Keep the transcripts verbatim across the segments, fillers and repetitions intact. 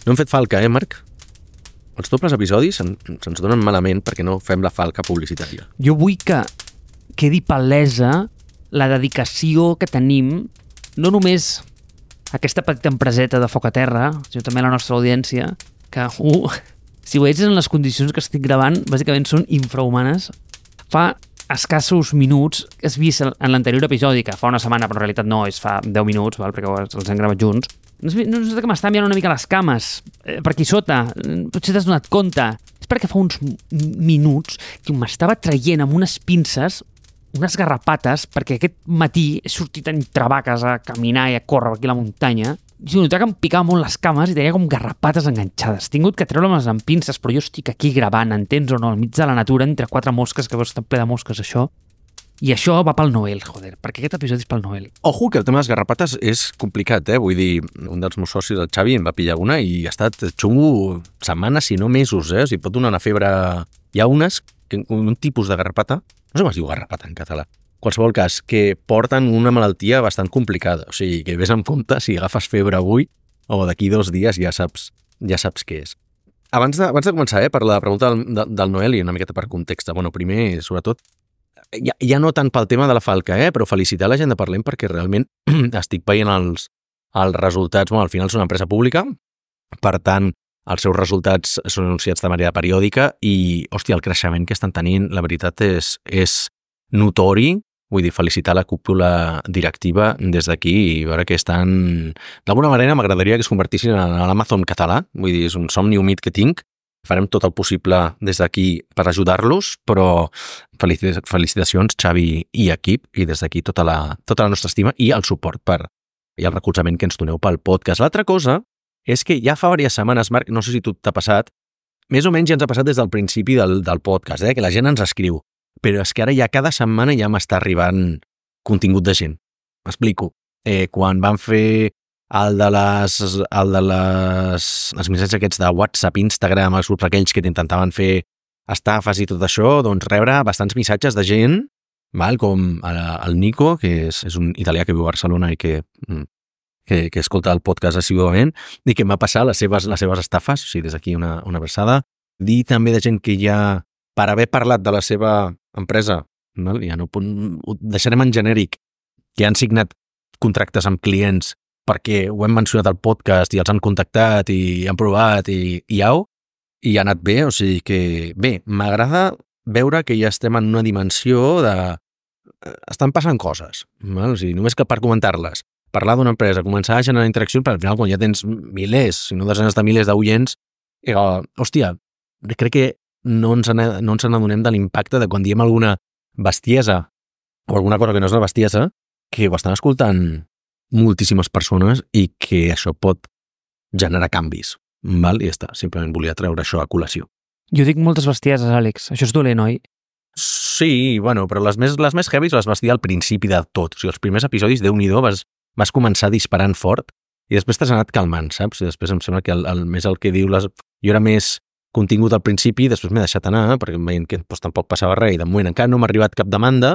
No hem fet falca, eh, Marc? Els dobles episodis se'ns se donen malament perquè no fem la falca publicitària. Jo vull que quedi palesa la dedicació que tenim, no només aquesta petita empreseta de foc a terra, sinó també la nostra audiència, que, uh, si ho veies en les condicions que estic gravant, bàsicament són infrahumanes. Fa escassos minuts, has vist en l'anterior episodi, que fa una setmana, però en realitat no, és fa deu minuts, val, perquè els hem gravat junts, no sé, no sé que m'està enviant una mica les cames eh, per aquí sota, potser t'has donat compte. És perquè fa uns minuts que m'estava traient amb unes pinces unes garrapates, perquè aquest matí he sortit entre vaques a caminar i a córrer aquí a la muntanya, i notava que em picava molt les cames i tenia com garrapates enganxades. He tingut que treure-les amb pinces, però jo estic aquí gravant, entens o no, al mig de la natura, entre quatre mosques, que veus, està ple de mosques, això. I això va pel Noel, joder, perquè aquest episodi és pel Noel. Ojo, que el tema de les garrapates és complicat, eh? Vull dir, un dels meus socis, el Xavi, em va pillar una i ha estat xungo setmanes, si no mesos, eh? O sigui, pot donar una febre... Hi ha unes, que, un tipus de garrapata, no sé com es diu garrapata en català, qualsevol cas, que porten una malaltia bastant complicada. O sigui, que vés amb compte si agafes febre avui o d'aquí dos dies ja saps, ja saps què és. Abans de, abans de començar, eh, per la pregunta del, de, del Noel i una miqueta per context, bueno, primer, sobretot, Ja, ja no tant pel tema de la falca, eh? Però felicitar la gent de Parlem perquè realment estic veient els, els resultats. Bueno, al final és una empresa pública, per tant, els seus resultats són anunciats de manera periòdica i, hòstia, el creixement que estan tenint, la veritat és, és notori. Vull dir, felicitar la cúpula directiva des d'aquí i veure que estan... D'alguna manera m'agradaria que es convertissin en l'Amazon català. Vull dir, és un somni humit que tinc. Farem tot el possible des d'aquí per ajudar-los, però felicitacions, Xavi i equip, i des d'aquí tota la, tota la nostra estima i el suport per, i el recolzament que ens doneu pel podcast. L'altra cosa és que ja fa diverses setmanes, Marc, no sé si tu t'ha passat, més o menys ja ens ha passat des del principi del, del podcast, eh, que la gent ens escriu, però és que ara ja cada setmana ja m'està arribant contingut de gent. M'explico. Eh, quan van fer el de les, el de les, els missatges aquests de WhatsApp, Instagram, els grups aquells que intentaven fer estafes i tot això, doncs rebre bastants missatges de gent, val, com el, el Nico, que és, és un italià que viu a Barcelona i que, que, que escolta el podcast assiduament, i que m'ha passat les seves, les seves estafes, o sigui, des d'aquí una, una versada. Dir també de gent que ja, per haver parlat de la seva empresa, val, ja no, ho deixarem en genèric, que han signat contractes amb clients perquè ho hem mencionat al podcast i els han contactat i han provat i, i au, i ha anat bé, o sigui que bé, m'agrada veure que ja estem en una dimensió de... estan passant coses, val? O sigui, només que per comentar-les, parlar d'una empresa, començar a generar interaccions, perquè al final quan ja tens milers, si no desenes de milers d'oients, eh, hòstia, crec que no ens, no ens n'adonem de l'impacte de quan diem alguna bestiesa o alguna cosa que no és una bestiesa, que ho estan escoltant moltíssimes persones i que això pot generar canvis, val? I ja està, simplement volia treure això a col·lació. Jo dic moltes bestieses, Àlex. Això és dolent, oi? Sí, bueno, però les més, les més heavies les vas dir al principi de tot. O sigui, els primers episodis, Déu-n'hi-do, vas, vas començar disparant fort i després t'has anat calmant, saps? I després em sembla que el, el, més el que diu... Les... Jo era més contingut al principi, després m'he deixat anar, perquè em veient que doncs, tampoc passava res i de moment encara no m'ha arribat cap demanda,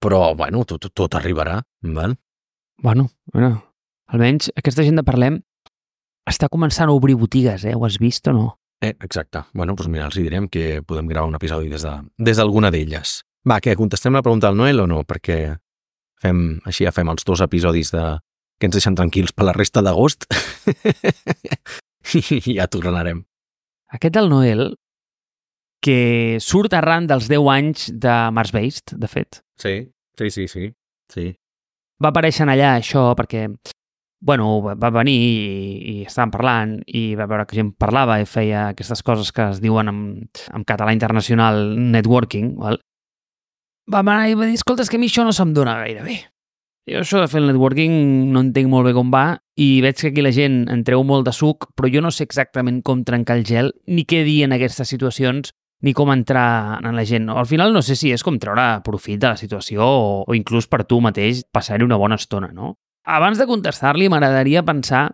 però, bueno, tot, tot, tot arribarà, val? Bueno, bueno, almenys aquesta gent de Parlem està començant a obrir botigues, eh? Ho has vist o no? Eh, exacte. Bueno, doncs mira, els direm que podem gravar un episodi des de, des d'alguna d'elles. Va, què, contestem la pregunta del Noel o no? Perquè fem, així ja fem els dos episodis de, que ens deixen tranquils per la resta d'agost i ja tornarem. Aquest del Noel, que surt arran dels deu anys de Mars Based, de fet. Sí, sí, sí, sí. sí. Va aparèixer allà això perquè, bueno, va venir i, i estàvem parlant i va veure que gent parlava i feia aquestes coses que es diuen en, en català internacional networking, val? Va anar i va dir, escolta, és que a mi això no se'm dona gaire bé. Jo això de fer el networking no entenc molt bé com va i veig que aquí la gent en treu molt de suc, però jo no sé exactament com trencar el gel ni què dir en aquestes situacions ni com entrar en la gent. Al final no sé si és com treure profit de la situació o, o inclús per tu mateix passar-hi una bona estona, no? Abans de contestar-li m'agradaria pensar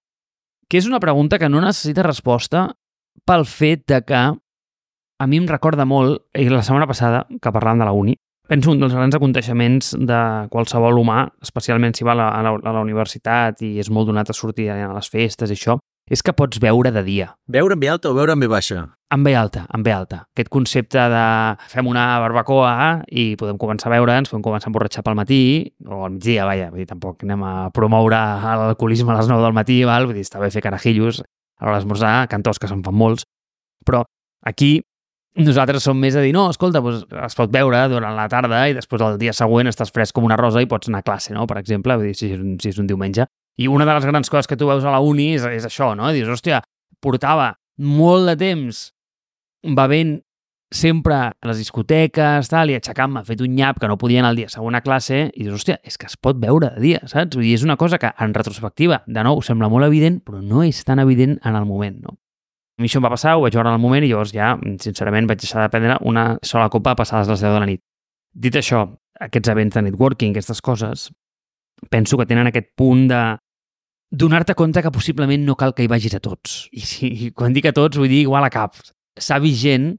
que és una pregunta que no necessita resposta pel fet de que a mi em recorda molt, i la setmana passada que parlàvem de la uni, penso un dels grans aconteixements de qualsevol humà, especialment si va a la, a la, a la universitat i és molt donat a sortir a les festes i això, és que pots veure de dia. Veure en ve alta o veure en ve baixa? En ve alta, en ve alta. Aquest concepte de fem una barbacoa i podem començar a veure'ns, podem començar a emborratxar pel matí, o al migdia, vaja, vull dir, tampoc anem a promoure l'alcoholisme a les nou del matí, val? Vull dir, està bé fer carajillos a l'hora d'esmorzar, cantors que se'n fan molts, però aquí nosaltres som més a dir, no, escolta, doncs es pot veure durant la tarda i després el dia següent estàs fresc com una rosa i pots anar a classe, no?, per exemple, vull dir, si és un, si és un diumenge. I una de les grans coses que tu veus a la uni és, és això, no? Dius, hòstia, portava molt de temps bevent sempre a les discoteques, tal, i aixecant-me, fet un nyap que no podia anar el dia següent a classe, i dius, hòstia, és que es pot veure de dia, saps? Vull dir, és una cosa que en retrospectiva, de nou, sembla molt evident, però no és tan evident en el moment, no? A mi això em va passar, ho vaig veure en el moment i llavors ja, sincerament, vaig deixar de prendre una sola copa passades les deu de la nit. Dit això, aquests events de networking, aquestes coses, penso que tenen aquest punt de donar-te compte que possiblement no cal que hi vagis a tots. I, si, i quan dic a tots, vull dir igual a cap. S'ha vist gent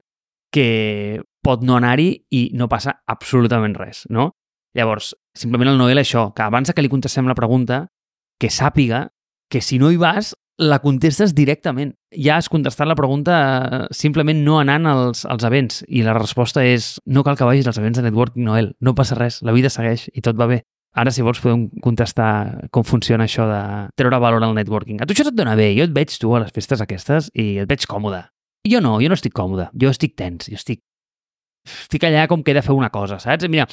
que pot no anar-hi i no passa absolutament res, no? Llavors, simplement el Noel això, que abans que li contestem la pregunta, que sàpiga que si no hi vas, la contestes directament. Ja has contestat la pregunta simplement no anant als, als events i la resposta és no cal que vagis als events de networking, Noel, no passa res, la vida segueix i tot va bé. Ara, si vols, podem contestar com funciona això de treure valor al networking. A tu això et dona bé, jo et veig tu a les festes aquestes i et veig còmode. Jo no, jo no estic còmode, jo estic tens, jo estic... Estic allà com que he de fer una cosa, saps? Mira,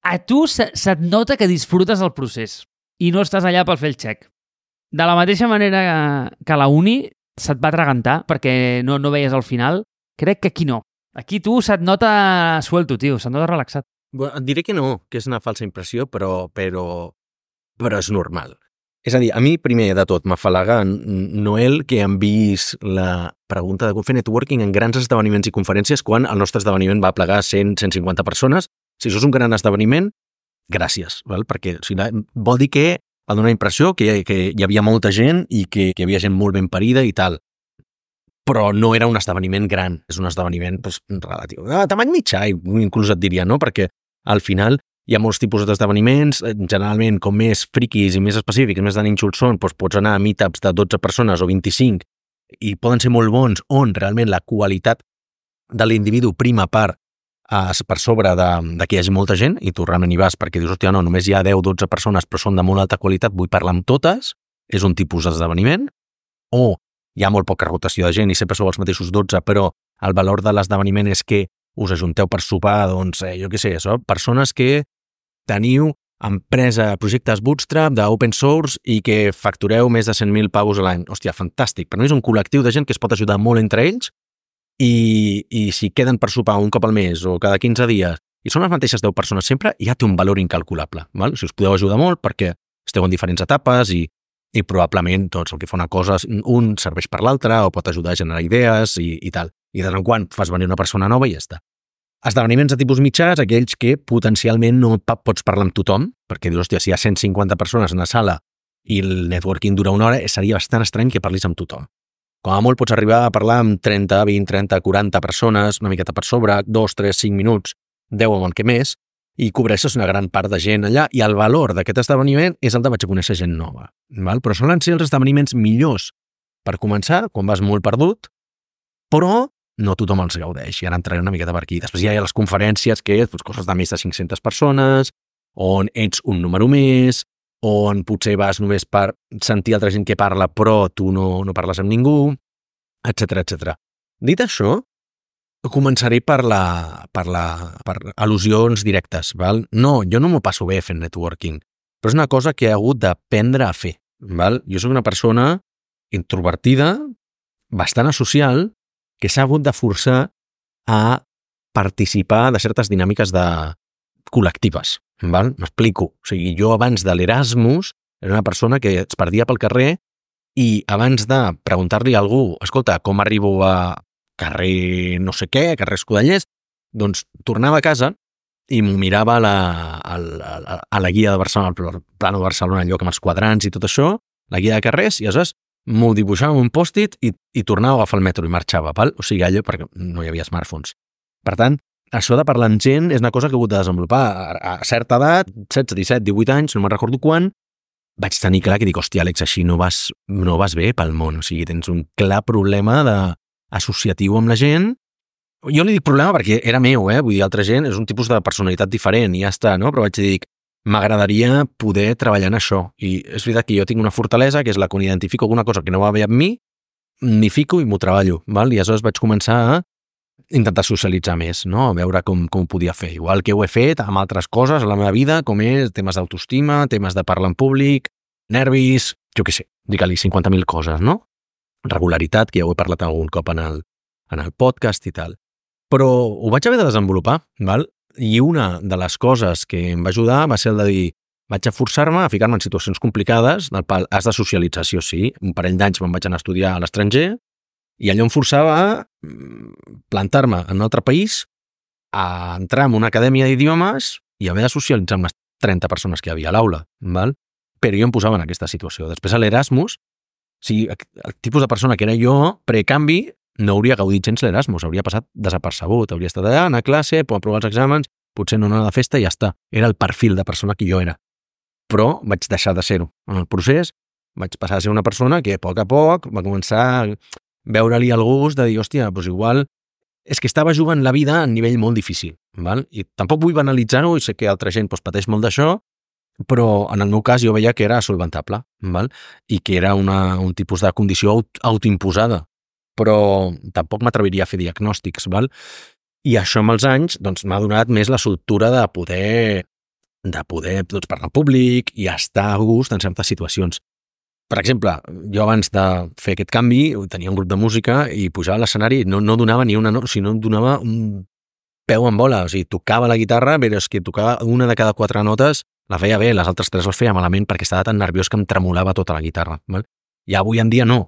a tu se, se't nota que disfrutes el procés i no estàs allà per fer el xec. De la mateixa manera que a la uni se't va atragantar perquè no, no veies al final, crec que aquí no. Aquí tu se't nota suelto, tio, se't nota relaxat. Bueno, et diré que no, que és una falsa impressió, però, però, però és normal. És a dir, a mi, primer de tot, m'afalaga Noel que enviïs la pregunta de com fer networking en grans esdeveniments i conferències quan el nostre esdeveniment va plegar cent a cent cinquanta persones. Si això és un gran esdeveniment, gràcies, val? Perquè o sigui, vol dir que va donar la impressió que, que hi havia molta gent i que, que hi havia gent molt ben parida i tal. Però no era un esdeveniment gran, és un esdeveniment doncs, relatiu. De tamany mitjà, inclús et diria, no? Perquè al final hi ha molts tipus d'esdeveniments, generalment com més friquis i més específics, més de nínxols són, doncs pots anar a meetups de dotze persones o vint-i-cinc i poden ser molt bons on realment la qualitat de l'individu prima per, per sobre de, de que hi hagi molta gent i tu realment hi vas perquè dius, hòstia, no, només hi ha deu o dotze persones però són de molt alta qualitat, vull parlar amb totes, és un tipus d'esdeveniment, o hi ha molt poca rotació de gent i sempre sou els mateixos dotze, però el valor de l'esdeveniment és que us ajunteu per sopar, doncs, eh, jo què sé, això, persones que teniu empresa, projectes bootstrap d'open source i que factureu més de cent mil pavos a l'any. Hòstia, fantàstic. Per mi és un col·lectiu de gent que es pot ajudar molt entre ells i, i si queden per sopar un cop al mes o cada quinze dies i són les mateixes deu persones sempre, ja té un valor incalculable. Val? O sigui, us podeu ajudar molt perquè esteu en diferents etapes i, i probablement doncs, el que fa una cosa, un serveix per l'altre o pot ajudar a generar idees i, i tal. I de tant en quant fas venir una persona nova i ja està. Esdeveniments de tipus mitjans, aquells que potencialment no pots parlar amb tothom, perquè dius, hòstia, si hi ha cent cinquanta persones en la sala i el networking dura una hora, seria bastant estrany que parlis amb tothom. Com a molt pots arribar a parlar amb trenta, vint, trenta, quaranta persones, una miqueta per sobre, dos, tres, cinc minuts, deu o el que més, i cobreixes una gran part de gent allà, i el valor d'aquest esdeveniment és el de vaig a conèixer gent nova. Val? Però solen ser els esdeveniments millors per començar, quan vas molt perdut, però no tothom els gaudeix, i ara entraré una miqueta per aquí. Després hi ha les conferències que és doncs, coses de més de cinc-centes persones, on ets un número més, on potser vas només per sentir altra gent que parla, però tu no, no parles amb ningú, etcètera, etcètera. Dit això, començaré per, la, per, la, per al·lusions directes. Val? No, jo no m'ho passo bé fent networking, però és una cosa que he hagut d'aprendre a fer. Val? Jo soc una persona introvertida, bastant asocial, que s'ha hagut de forçar a participar de certes dinàmiques de col·lectives. Val? M'explico. O sigui, jo abans de l'Erasmus era una persona que es perdia pel carrer i abans de preguntar-li a algú, escolta, com arribo a carrer no sé què, carrer Escudellers, doncs tornava a casa i m'ho mirava a la, a, la, a la guia de Barcelona, al plano de Barcelona, allò amb els quadrants i tot això, la guia de carrers, i aleshores m'ho dibuixava un pòst-it i, i tornava a agafar el metro i marxava, val? O sigui, allò perquè no hi havia smartphones. Per tant, això de parlar amb gent és una cosa que he hagut de desenvolupar a, a certa edat, setze, disset, divuit anys, no me'n recordo quan, vaig tenir clar que dic, hòstia, Àlex, així no vas, no vas bé pel món. O sigui, tens un clar problema de associatiu amb la gent. Jo li dic problema perquè era meu, eh? Vull dir, altra gent és un tipus de personalitat diferent i ja està, no? Però vaig dir, m'agradaria poder treballar en això. I és veritat que jo tinc una fortalesa, que és la que identifico alguna cosa que no va bé amb mi, m'hi fico i m'ho treballo, val? I aleshores vaig començar a intentar socialitzar més, no? A veure com, com ho podia fer. Igual que ho he fet amb altres coses a la meva vida, com és temes d'autoestima, temes de parlar en públic, nervis, jo què sé, digue-li cinquanta mil coses, no? Regularitat, que ja ho he parlat algun cop en el, en el podcast i tal. Però ho vaig haver de desenvolupar, val? I una de les coses que em va ajudar va ser el de dir, vaig a forçar-me a ficar-me en situacions complicades, del pal, has de socialització, sí, un parell d'anys me'n vaig anar a estudiar a l'estranger, i allò em forçava a plantar-me en un altre país, a entrar en una acadèmia d'idiomes i haver de socialitzar amb les trenta persones que hi havia a l'aula, val? Però jo em posava en aquesta situació. Després a l'Erasmus, o sigui, el tipus de persona que era jo, precanvi, no hauria gaudit gens l'Erasmus, hauria passat desapercebut, hauria estat allà, anar a classe, aprovar els exàmens, potser no anar a la festa i ja està. Era el perfil de persona que jo era. Però vaig deixar de ser-ho. En el procés vaig passar a ser una persona que a poc a poc va començar a veure-li el gust de dir, hòstia, doncs igual és que estava jugant la vida a un nivell molt difícil, val? I tampoc vull banalitzar-ho, i sé que altra gent doncs, pateix molt d'això, però en el meu cas jo veia que era solventable, val? I que era una, un tipus de condició aut autoimposada, però tampoc m'atreviria a fer diagnòstics, val? I això amb els anys doncs, m'ha donat més la soltura de poder, de poder doncs, parlar en públic i estar a gust en certes situacions. Per exemple, jo abans de fer aquest canvi tenia un grup de música i pujava a l'escenari i no, no donava ni una nota, o sigui, no donava un peu en bola, o sigui, tocava la guitarra, però és que tocava una de cada quatre notes, la feia bé, les altres tres les feia malament perquè estava tan nerviós que em tremolava tota la guitarra. Val? I avui en dia no.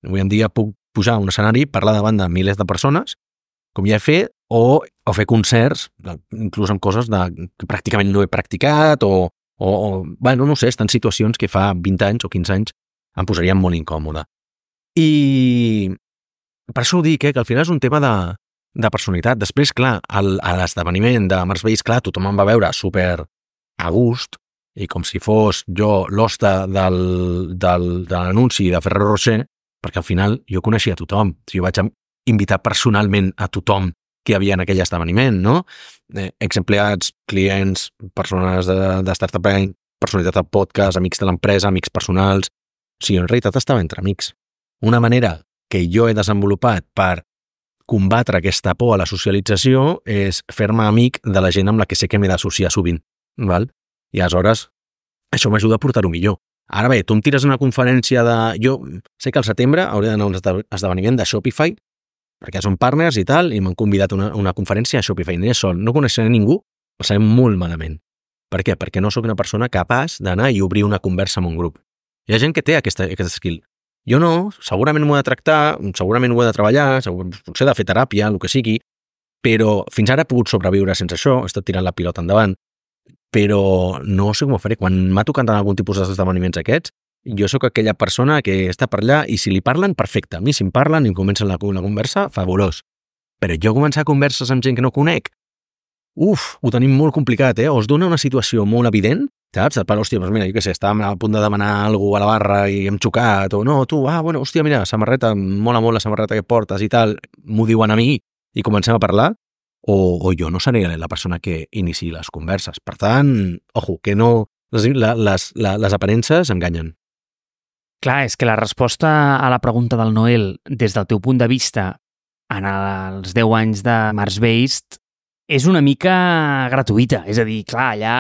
Avui en dia puc pujar a un escenari, parlar davant de milers de persones, com ja he fet, o, o fer concerts, inclús amb coses de, que pràcticament no he practicat, o, o, o bueno, no sé, estan situacions que fa vint anys o quinze anys em posaria molt incòmode. I per això ho dic, eh, que al final és un tema de, de personalitat. Després, clar, el, a l'esdeveniment de Mars Base, clar, tothom em va veure super a gust, i com si fos jo l'hoste del, del, de l'anunci de Ferrero Rocher, perquè al final jo coneixia a tothom. Jo vaig invitar personalment a tothom que hi havia en aquell esdeveniment, no? Eh, exempleats, clients, persones de, de Startup Bank, personalitat de podcast, amics de l'empresa, amics personals. O sigui, en realitat estava entre amics. Una manera que jo he desenvolupat per combatre aquesta por a la socialització és fer-me amic de la gent amb la que sé que m'he d'associar sovint. Val? I aleshores això m'ajuda a portar-ho millor. Ara bé, tu em tires una conferència de... Jo sé que al setembre hauré d'anar a un esdeveniment de Shopify, perquè són partners i tal, i m'han convidat a una, una conferència a Shopify. Aniré sol, no coneixeré ningú, passaré molt malament. Per què? Perquè no sóc una persona capaç d'anar i obrir una conversa amb un grup. Hi ha gent que té aquesta, aquest skill. Jo no, segurament m'ho he de tractar, segurament ho he de treballar, segur, potser he de fer teràpia, el que sigui, però fins ara he pogut sobreviure sense això, he estat tirant la pilota endavant, però no sé com ho faré. Quan m'ha tocat en algun tipus d'esdeveniments aquests, jo sóc aquella persona que està per allà i si li parlen, perfecte. A mi si em parlen i em comencen la, la conversa, fabulós. Però jo començar converses amb gent que no conec, uf, ho tenim molt complicat, eh? O es dona una situació molt evident, saps? Et parla, hòstia, doncs mira, jo què sé, estàvem a punt de demanar alguna a la barra i hem xocat, o no, tu, ah, bueno, hòstia, mira, samarreta, mola molt la samarreta que portes i tal, m'ho diuen a mi i comencem a parlar, o, o jo no seré la persona que iniciï les converses. Per tant, ojo, que no... Les, les, les aparences enganyen. Clar, és que la resposta a la pregunta del Noel, des del teu punt de vista, en els deu anys de Mars Based, és una mica gratuïta. És a dir, clar, allà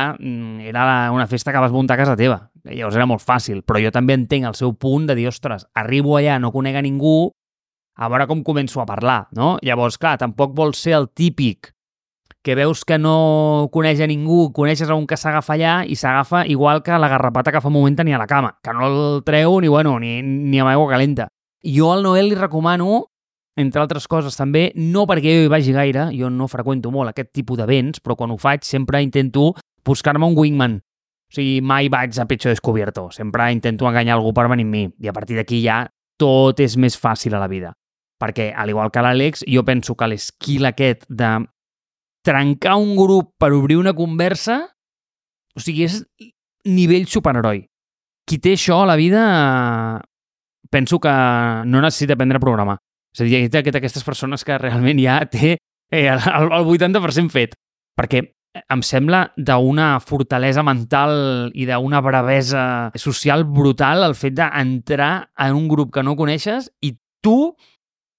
era una festa que vas muntar a casa teva. Llavors era molt fàcil, però jo també entenc el seu punt de dir, ostres, arribo allà, no conec a ningú, a veure com començo a parlar, no? Llavors, clar, tampoc vols ser el típic que veus que no coneix a ningú, coneixes a un que s'agafa allà i s'agafa igual que la garrapata que fa un moment tenia a la cama, que no el treu ni, bueno, ni, ni amb aigua calenta. Jo al Noel li recomano, entre altres coses també, no perquè jo hi vagi gaire, jo no freqüento molt aquest tipus d'events, però quan ho faig sempre intento buscar-me un wingman. O sigui, mai vaig a pecho descubierto, sempre intento enganyar algú per venir amb mi, i a partir d'aquí ja tot és més fàcil a la vida. Perquè, al igual que l'Àlex, jo penso que l'esquil aquest de trencar un grup per obrir una conversa, o sigui, és nivell superheroi. qui té això a la vida penso que no necessita aprendre a programar. És a dir, hi ha aquestes persones que realment ja té eh, el, el vuitanta per cent fet. Perquè em sembla d'una fortalesa mental i d'una bravesa social brutal el fet d'entrar en un grup que no coneixes i tu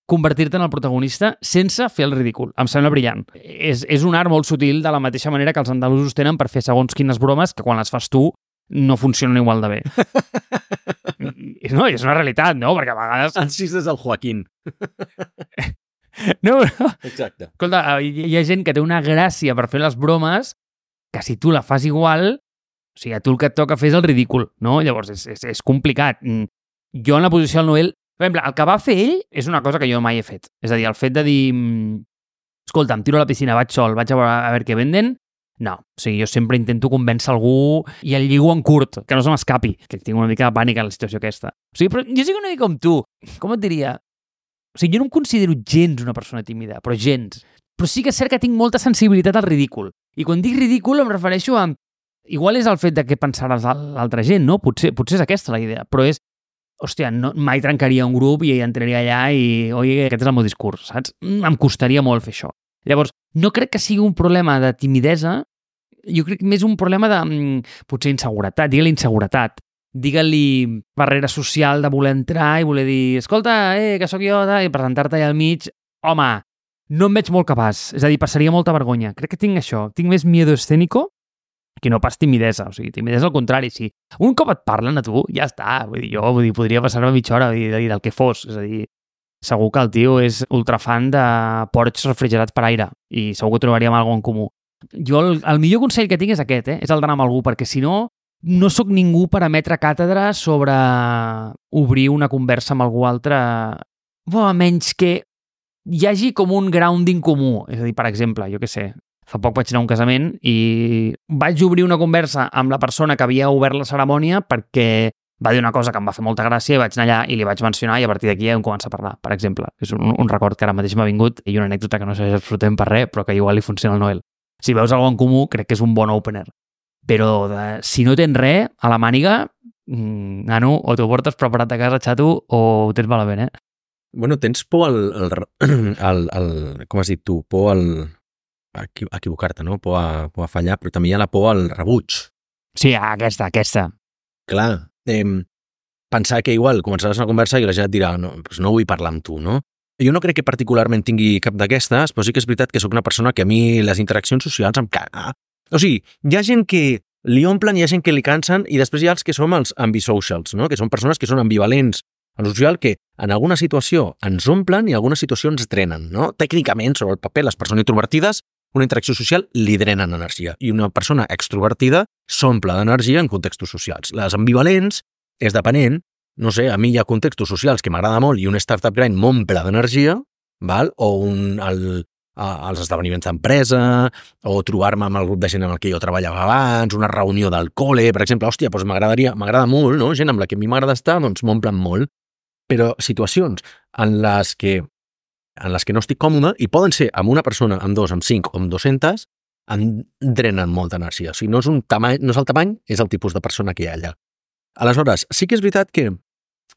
convertir-te en el protagonista sense fer el ridícul. Em sembla brillant. És, és un art molt sutil de la mateixa manera que els andalusos tenen per fer segons quines bromes que quan les fas tu no funcionen igual de bé. No, és una realitat, no? Perquè a vegades... Ansís des del Joaquín. No, no. Exacte. Escolta, hi ha gent que té una gràcia per fer les bromes que si tu la fas igual, o sigui, a tu el que et toca fer és el ridícul, no? Llavors, és, és, és complicat. Jo en la posició del Noel, per exemple, el que va fer ell és una cosa que jo mai he fet. És a dir, el fet de dir escolta, em tiro a la piscina, vaig sol, vaig a veure, a veure què venden. No, o sigui, jo sempre intento convèncer algú i el lligo en curt, que no se m'escapi, que tinc una mica de pànic en la situació aquesta. O sigui, però jo soc una mica com tu. Com et diria? O sigui, jo no em considero gens una persona tímida, però gens. Però sí que és cert que tinc molta sensibilitat al ridícul. I quan dic ridícul em refereixo a... Igual és el fet de què pensaràs l'altra gent, no? Potser, potser és aquesta la idea, però és... Hòstia, no, mai trencaria un grup i entraria allà i... Oi, aquest és el meu discurs, saps? Em costaria molt fer això. Llavors, no crec que sigui un problema de timidesa, jo crec que més un problema de, potser, inseguretat. Digue-li inseguretat. Digue-li barrera social de voler entrar i voler dir escolta, eh, que sóc jo, i presentar-te allà al mig. Home, no em veig molt capaç. És a dir, passaria molta vergonya. Crec que tinc això. Tinc més miedo escénico que no pas timidesa. O sigui, timidesa al contrari, sí. Un cop et parlen a tu, ja està. Vull dir, jo vull dir, podria passar-me mitja hora vull dir, del que fos. És a dir, segur que el tio és ultrafan de porcs refrigerats per aire i segur que trobaríem alguna cosa en comú. Jo el, el millor consell que tinc és aquest, eh? És el d'anar amb algú, perquè si no, no sóc ningú per emetre càtedra sobre obrir una conversa amb algú altre, bo, a menys que hi hagi com un grounding comú. És a dir, per exemple, jo què sé, fa poc vaig anar a un casament i vaig obrir una conversa amb la persona que havia obert la cerimònia perquè va dir una cosa que em va fer molta gràcia i vaig anar allà i li vaig mencionar i a partir d'aquí vam començar a parlar, per exemple. És un, un record que ara mateix m'ha vingut i una anècdota que no serveix absolutament per res, però que igual li funciona al Noel. Si veus alguna en comú, crec que és un bon opener. Però de, si no tens res a la màniga, mmm, nano, o t'ho portes preparat a casa, xato, o ho tens malament, eh? Bueno, tens por al... al, al, al com has dit tu? Por al... a equivocar-te, no? Por a, por a fallar, però també hi ha la por al rebuig. Sí, aquesta, aquesta. Clar, eh, pensar que igual començaràs una conversa i la gent et dirà no, doncs no vull parlar amb tu, no? Jo no crec que particularment tingui cap d'aquestes, però sí que és veritat que sóc una persona que a mi les interaccions socials em caga. O sigui, hi ha gent que li omplen, hi ha gent que li cansen i després hi ha els que som els ambisocials, no? Que són persones que són ambivalents en el social que en alguna situació ens omplen i en alguna situació ens drenen, no? Tècnicament, sobre el paper, les persones introvertides, una interacció social li drenen energia i una persona extrovertida s'omple d'energia en contextos socials. Les ambivalents és depenent. No sé, a mi hi ha contextos socials que m'agrada molt i un startup grind m'omple d'energia, val? O un, el, a, els esdeveniments d'empresa, o trobar-me amb el grup de gent amb el que jo treballava abans, una reunió del col·le, per exemple, hòstia, doncs m'agradaria, m'agrada molt, no? Gent amb la que a mi m'agrada estar, doncs m'omplen molt. Però situacions en les que en les que no estic còmode, i poden ser amb una persona, amb dos, amb cinc o amb dos-centes, em drenen molta energia. O sigui, no és, un tamany, no és el tamany, és el tipus de persona que hi ha allà. Aleshores, sí que és veritat que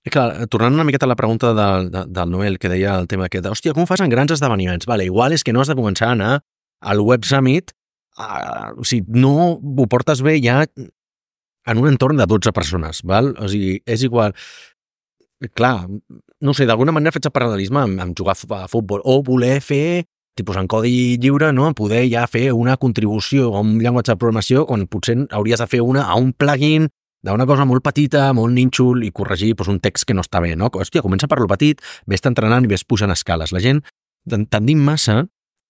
clar, tornant una miqueta a la pregunta de, de, del Noel, que deia el tema aquest, hòstia, com ho fas en grans esdeveniments? Vale, igual és que no has de començar a anar al Web Summit, a, o sigui, no ho portes bé ja en un entorn de dotze persones, val? O sigui, és igual... Clar, no sé, d'alguna manera faig el paral·lelisme amb, amb jugar a futbol, o voler fer, tipus en codi lliure, no? Poder ja fer una contribució a un llenguatge de programació quan potser hauries de fer una a un plugin d'una cosa molt petita, molt nínxol, i corregir doncs, un text que no està bé, no? Hòstia, comença per lo petit, vés entrenant i vés pujant escales. La gent tendim massa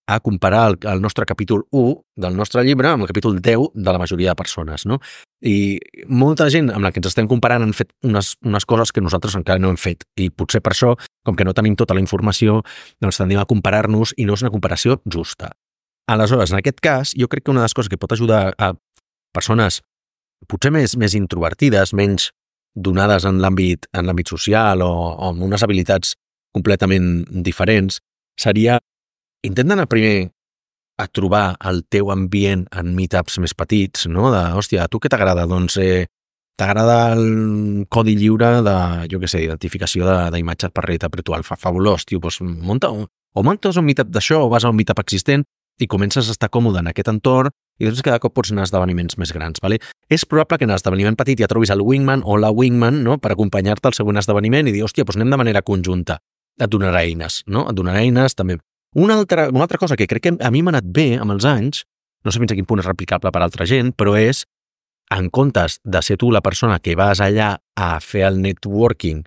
a comparar el, el nostre capítol u del nostre llibre amb el capítol deu de la majoria de persones, no? I molta gent amb la que ens estem comparant han fet unes, unes coses que nosaltres encara no hem fet, i potser per això, com que no tenim tota la informació, doncs tendim a comparar-nos i no és una comparació justa. Aleshores, en aquest cas, jo crec que una de les coses que pot ajudar a persones potser més, més introvertides, menys donades en l'àmbit en l'àmbit social o, o amb unes habilitats completament diferents, seria intenta anar primer a trobar el teu ambient en meetups més petits, no? De, hòstia, a tu què t'agrada? Doncs eh, t'agrada el codi lliure de, jo què sé, identificació d'imatges per realitat virtual. Fa fabulós, tio, doncs munta, o muntes un meetup d'això o vas a un meetup existent i comences a estar còmode en aquest entorn i després cada cop pots anar a esdeveniments més grans. Vale? És probable que en l'esdeveniment petit ja trobis el wingman o la wingman, no?, per acompanyar-te al següent esdeveniment i dir, hòstia, doncs anem de manera conjunta. Et donarà eines, no? Et donarà eines també. Una altra, una altra cosa que crec que a mi m'ha anat bé amb els anys, no sé fins a quin punt és replicable per altra gent, però és, en comptes de ser tu la persona que vas allà a fer el networking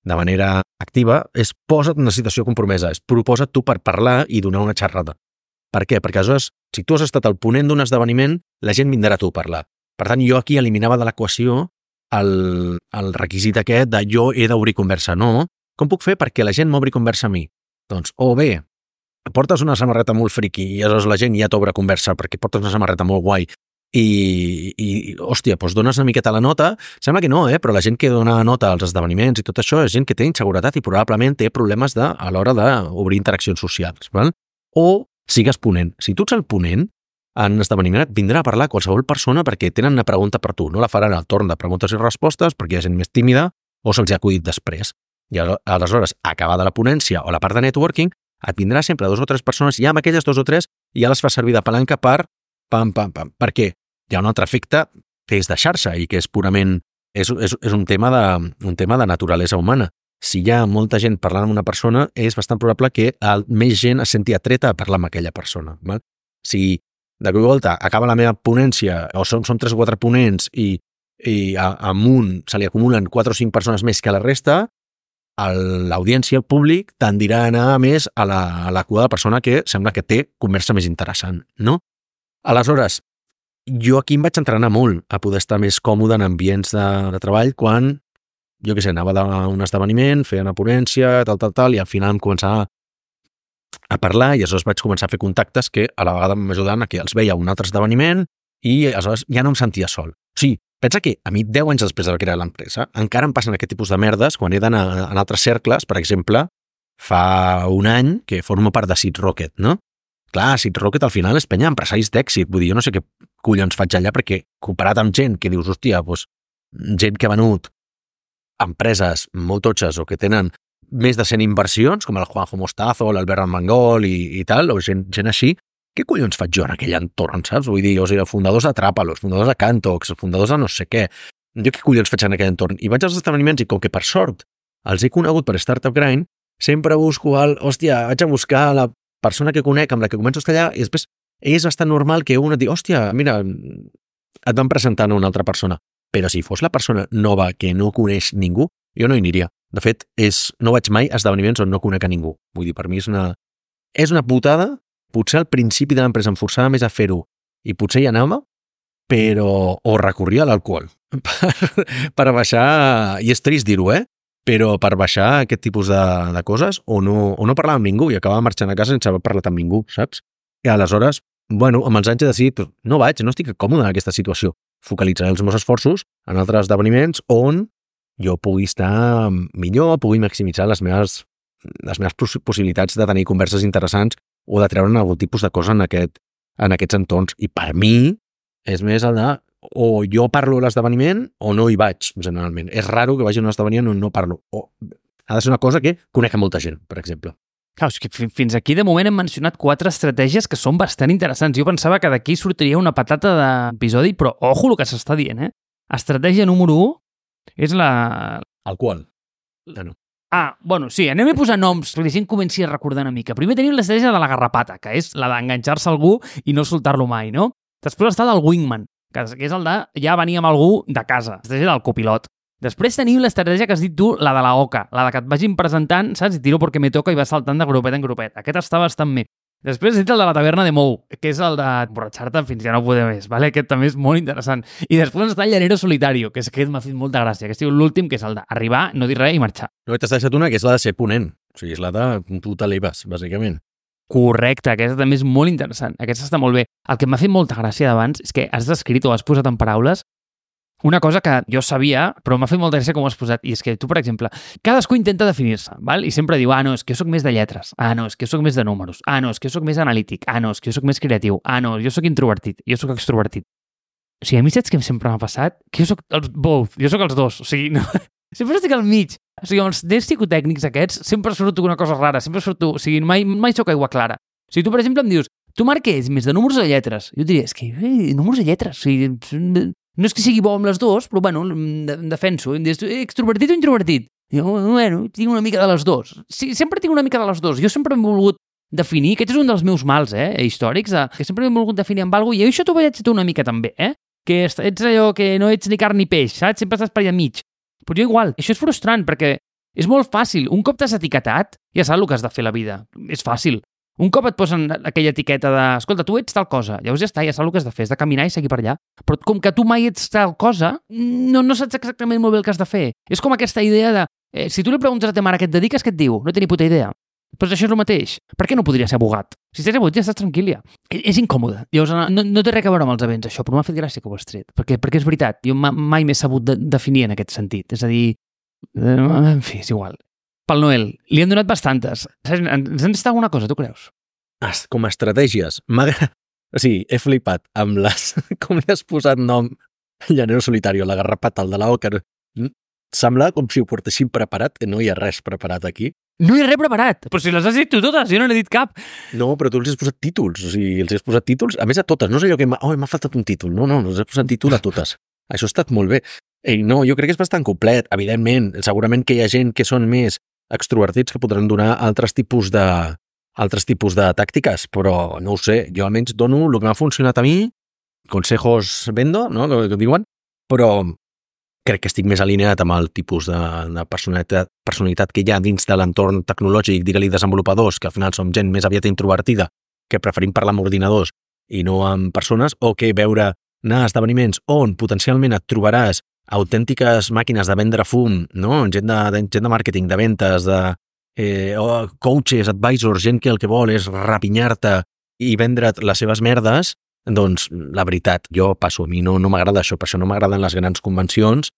de manera activa, és posa't en una situació compromesa, és proposa't tu per parlar i donar una xerrada. Per què? Perquè aleshores, si tu has estat al ponent d'un esdeveniment, la gent vindrà a tu a parlar. Per tant, jo aquí eliminava de l'equació el, el requisit aquest de jo he d'obrir conversa. No. Com puc fer perquè la gent m'obri conversa a mi? Doncs, o bé, portes una samarreta molt friqui i aleshores la gent ja t'obre conversa perquè portes una samarreta molt guai i, i hòstia, doncs dones una miqueta la nota. Sembla que no, eh? Però la gent que dona nota als esdeveniments i tot això és gent que té inseguretat i probablement té problemes de, a l'hora d'obrir interaccions socials. Val? O sigues ponent. Si tu ets el ponent, en esdeveniment et vindrà a parlar qualsevol persona perquè tenen una pregunta per tu. No la faran al torn de preguntes i respostes perquè hi ha gent més tímida o se'ls ha acudit després. I aleshores, acabada la ponència o la part de networking, et vindrà sempre dos o tres persones i amb aquelles dos o tres ja les fa servir de palanca per pam, pam, pam. Per què? Hi ha un altre efecte que és de xarxa i que és purament... És, és, és un, tema de, un tema de naturalesa humana. Si hi ha molta gent parlant amb una persona, és bastant probable que el, més gent es senti atreta a parlar amb aquella persona. Val? Si de cop i volta acaba la meva ponència o som, som tres o quatre ponents i, i a, amunt se li acumulen quatre o cinc persones més que a la resta, l'audiència, el públic, tendirà a anar més a la, a la cua de la persona que sembla que té conversa més interessant, no? Aleshores, jo aquí em vaig entrenar molt a poder estar més còmode en ambients de, de treball quan, jo què sé, anava d'un esdeveniment, feia una ponència, tal, tal, tal, i al final em començava a parlar i aleshores vaig començar a fer contactes que a la vegada m'ajudaven a que els veia a un altre esdeveniment i aleshores ja no em sentia sol. O sigui, pensa que a mi, deu anys després de crear l'empresa, encara em passen aquest tipus de merdes quan he d'anar en altres cercles. Per exemple, fa un any que formo part de Seed Rocket, no? Clar, Seed Rocket al final és penya empresaris d'èxit. Vull dir, jo no sé què collons faig allà perquè comparat amb gent que dius, hòstia, doncs, gent que ha venut empreses molt totxes o que tenen més de cent inversions, com el Juanjo Mostazo, l'Albert Armengol i, i tal, o gent, gent així, què collons faig jo en aquell entorn, saps? Vull dir, o sigui, fundadors de Trápalos, fundadors de Cantox, fundadors de no sé què. Jo què collons faig en aquell entorn? I vaig als esdeveniments i com que per sort els he conegut per Startup Grind, sempre busco el, hòstia, vaig a buscar la persona que conec, amb la que començo a estar allà, i després és bastant normal que un et digui, hòstia, mira, et van presentant a una altra persona. Però si fos la persona nova que no coneix ningú, jo no hi aniria. De fet, és, no vaig mai a esdeveniments on no conec a ningú. Vull dir, per mi és una, és una putada. Potser al principi de l'empresa em forçava més a fer-ho i potser hi anava, però o recorria a l'alcohol per, per baixar, i és trist dir-ho, eh? Però per baixar aquest tipus de, de coses o no, o no parlar amb ningú i acabava marxant a casa sense haver parlat amb ningú, saps? I aleshores, bueno, amb els anys he decidit, no vaig, no estic còmode en aquesta situació. Focalitzaré els meus esforços en altres esdeveniments on jo pugui estar millor, pugui maximitzar les meves, les meves possibilitats de tenir converses interessants o de treure'n algun tipus de cosa en, aquest, en aquests entorns. I per mi és més el de o jo parlo a l'esdeveniment o no hi vaig, generalment. És raro que vagi a un esdeveniment on no parlo. O ha de ser una cosa que conec a molta gent, per exemple. Clar, és que fins aquí de moment hem mencionat quatre estratègies que són bastant interessants. Jo pensava que d'aquí sortiria una patata d'episodi, però ojo el que s'està dient, eh? Estratègia número u és la... Alcohol. Ja no. Ah, bueno, sí, anem a posar noms perquè la gent comenci a recordar una mica. Primer tenim l'estratègia de la garrapata, que és la d'enganxar-se a algú i no soltar-lo mai, no? Després està del wingman, que és el de ja venir amb algú de casa, l'estratègia del copilot. Després tenim l'estratègia que has dit tu, la de la oca, la de que et vagin presentant, saps? I tiro perquè me toca i vas saltant de grupet en grupet. Aquest està bastant bé. Després he dit el de la taverna de Mou, que és el d'emborratxar-te fins ja no poder més, vale? Aquest també és molt interessant. I després està el llanero solitario, que és aquest m'ha fet molta gràcia, que és l'últim, que és el d'arribar, no dir res i marxar. No, t'has deixat una, que és la de ser ponent. O sigui, és la de tu t'eleves, bàsicament. Correcte, aquesta també és molt interessant. Aquesta està molt bé. El que m'ha fet molta gràcia d'abans és que has descrit o has posat en paraules una cosa que jo sabia, però m'ha fet molta gràcia com ho has posat, i és que tu, per exemple, cadascú intenta definir-se, val? I sempre diu, ah, no, és que jo soc més de lletres, ah, no, és que jo soc més de números, ah, no, és que jo soc més analític, ah, no, és que jo soc més creatiu, ah, no, jo soc introvertit, jo soc extrovertit. O sigui, a mi saps que sempre m'ha passat? Que jo soc els both, jo soc els dos. O sigui, no... sempre estic al mig. O sigui, amb els nens psicotècnics aquests, sempre surto una cosa rara, sempre surto... O sigui, mai, mai soc aigua clara. O sigui, tu, per exemple, em dius, tu, Marc, què ets? Més de números o de lletres? Jo diria, és que eh, números o lletres. O sigui, no és que sigui bo amb les dues, però, bueno, em defenso. Em dius, extrovertit o introvertit? I jo, bueno, tinc una mica de les dues. Sí, sempre tinc una mica de les dues. Jo sempre he volgut definir, aquest és un dels meus mals, eh, històrics, de, que sempre he volgut definir amb alguna cosa, i això t'ho vaig tu una mica també, eh? Que ets allò que no ets ni carn ni peix, saps? Sempre estàs per allà mig. Però jo igual, això és frustrant, perquè és molt fàcil. Un cop t'has etiquetat, ja saps el que has de fer a la vida. És fàcil. Un cop et posen aquella etiqueta de, escolta, tu ets tal cosa, llavors ja està, ja saps el que has de fer, és de caminar i seguir per allà. Però com que tu mai ets tal cosa, no, no saps exactament molt bé el que has de fer. És com aquesta idea de, eh, si tu li preguntes a ta mare què et dediques, què et diu? No té ni puta idea. Però això és el mateix. Per què no podria ser abogat? Si estàs abogat ja estàs tranquil, ja. És incòmode. Llavors, no, no té res a veure amb els events, això, però m'ha fet gràcia que ho has tret. Perquè, perquè és veritat, jo mai m'he sabut de, definir en aquest sentit. És a dir, en fi, és igual. Pel Noel, li han donat bastantes. Ens han estat alguna cosa, tu creus? Com a estratègies, m'agrada... O sigui, he flipat amb les... Com li has posat nom Llanero Solitario, la garrapata, el de la Oca. Sembla com si ho portessin preparat, que no hi ha res preparat aquí. No hi ha res preparat, però si les has dit tu totes, jo no n'he dit cap. No, però tu els has posat títols, o sigui, els has posat títols, a més a totes, no és allò que m'ha oh, m'ha faltat un títol, no, no, els has posat títol a totes. Això ha estat molt bé. Ei, no, jo crec que és bastant complet, evidentment, segurament que hi ha gent que són més extrovertits que podran donar altres tipus de altres tipus de tàctiques, però no ho sé, jo almenys dono el que m'ha funcionat a mi, consejos vendo, no?, que, que diuen, però crec que estic més alineat amb el tipus de, de personalitat, personalitat que hi ha dins de l'entorn tecnològic, digue-li desenvolupadors, que al final som gent més aviat introvertida, que preferim parlar amb ordinadors i no amb persones, o que veure anar a esdeveniments on potencialment et trobaràs autèntiques màquines de vendre fum, no? gent, de, de, gent de màrqueting, de ventes, de eh, oh, coaches, advisors, gent que el que vol és rapinyar-te i vendre't les seves merdes, doncs, la veritat, jo passo, a mi no, no m'agrada això, per això no m'agraden les grans convencions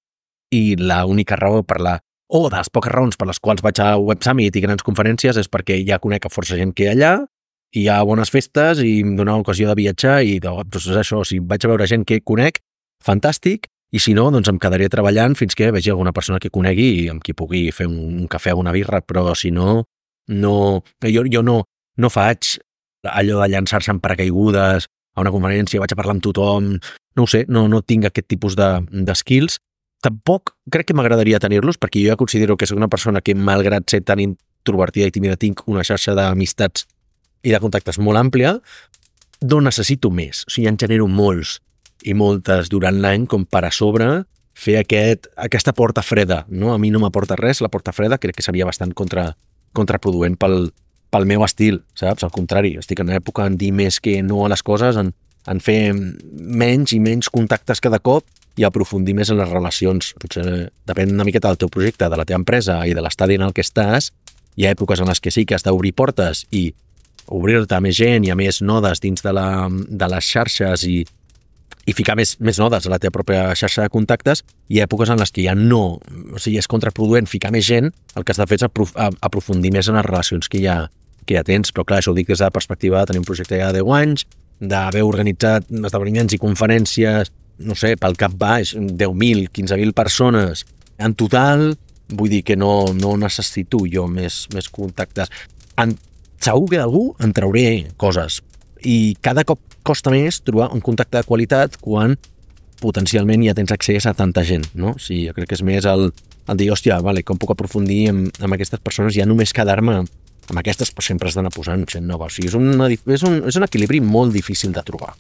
i l'única raó per la... o de les poques raons per les quals vaig a Web Summit i grans conferències és perquè ja conec a força gent que hi ha allà, i hi ha bones festes i em dona l'ocasió de viatjar i doncs és això, si vaig a veure gent que conec, fantàstic, i si no, doncs em quedaré treballant fins que vegi alguna persona que conegui i amb qui pugui fer un, un cafè o una birra, però si no, no jo, jo no, no faig allò de llançar-se en paracaigudes a una conferència, vaig a parlar amb tothom, no ho sé, no, no tinc aquest tipus de, de skills. Tampoc crec que m'agradaria tenir-los, perquè jo ja considero que soc una persona que, malgrat ser tan introvertida i tímida, tinc una xarxa d'amistats i de contactes molt àmplia, no necessito més. O sigui, en genero molts i moltes durant l'any, com per a sobre fer aquest, aquesta porta freda. No? A mi no m'aporta res, la porta freda crec que seria bastant contra, contraproduent pel, pel meu estil, saps? Al contrari, estic en època en dir més que no a les coses, en, en fer menys i menys contactes cada cop i aprofundir més en les relacions. Potser depèn una miqueta del teu projecte, de la teva empresa i de l'estadi en el que estàs. Hi ha èpoques en les que sí que has d'obrir portes i obrir-te a més gent i a més nodes dins de, la, de les xarxes i, i ficar més, més nodes a la teva pròpia xarxa de contactes. Hi ha èpoques en les que ja no, o sigui, és contraproduent ficar més gent, el que has de fer és aprof aprofundir més en les relacions que ja, que ja tens, però clar, això ho dic des de la perspectiva de tenir un projecte ja de deu anys, d'haver organitzat esdeveniments i conferències, no sé, pel cap baix, deu mil, quinze mil persones en total, vull dir que no, no necessito jo més, més contactes. En, segur que d'algú en trauré coses i cada cop costa més trobar un contacte de qualitat quan potencialment ja tens accés a tanta gent, no? O sigui, jo crec que és més el, el dir, hòstia, vale, com puc aprofundir amb, amb aquestes persones, ja només quedar-me amb aquestes, però sempre has d'anar posant gent nova. O sigui, és, una, és, un, és un equilibri molt difícil de trobar.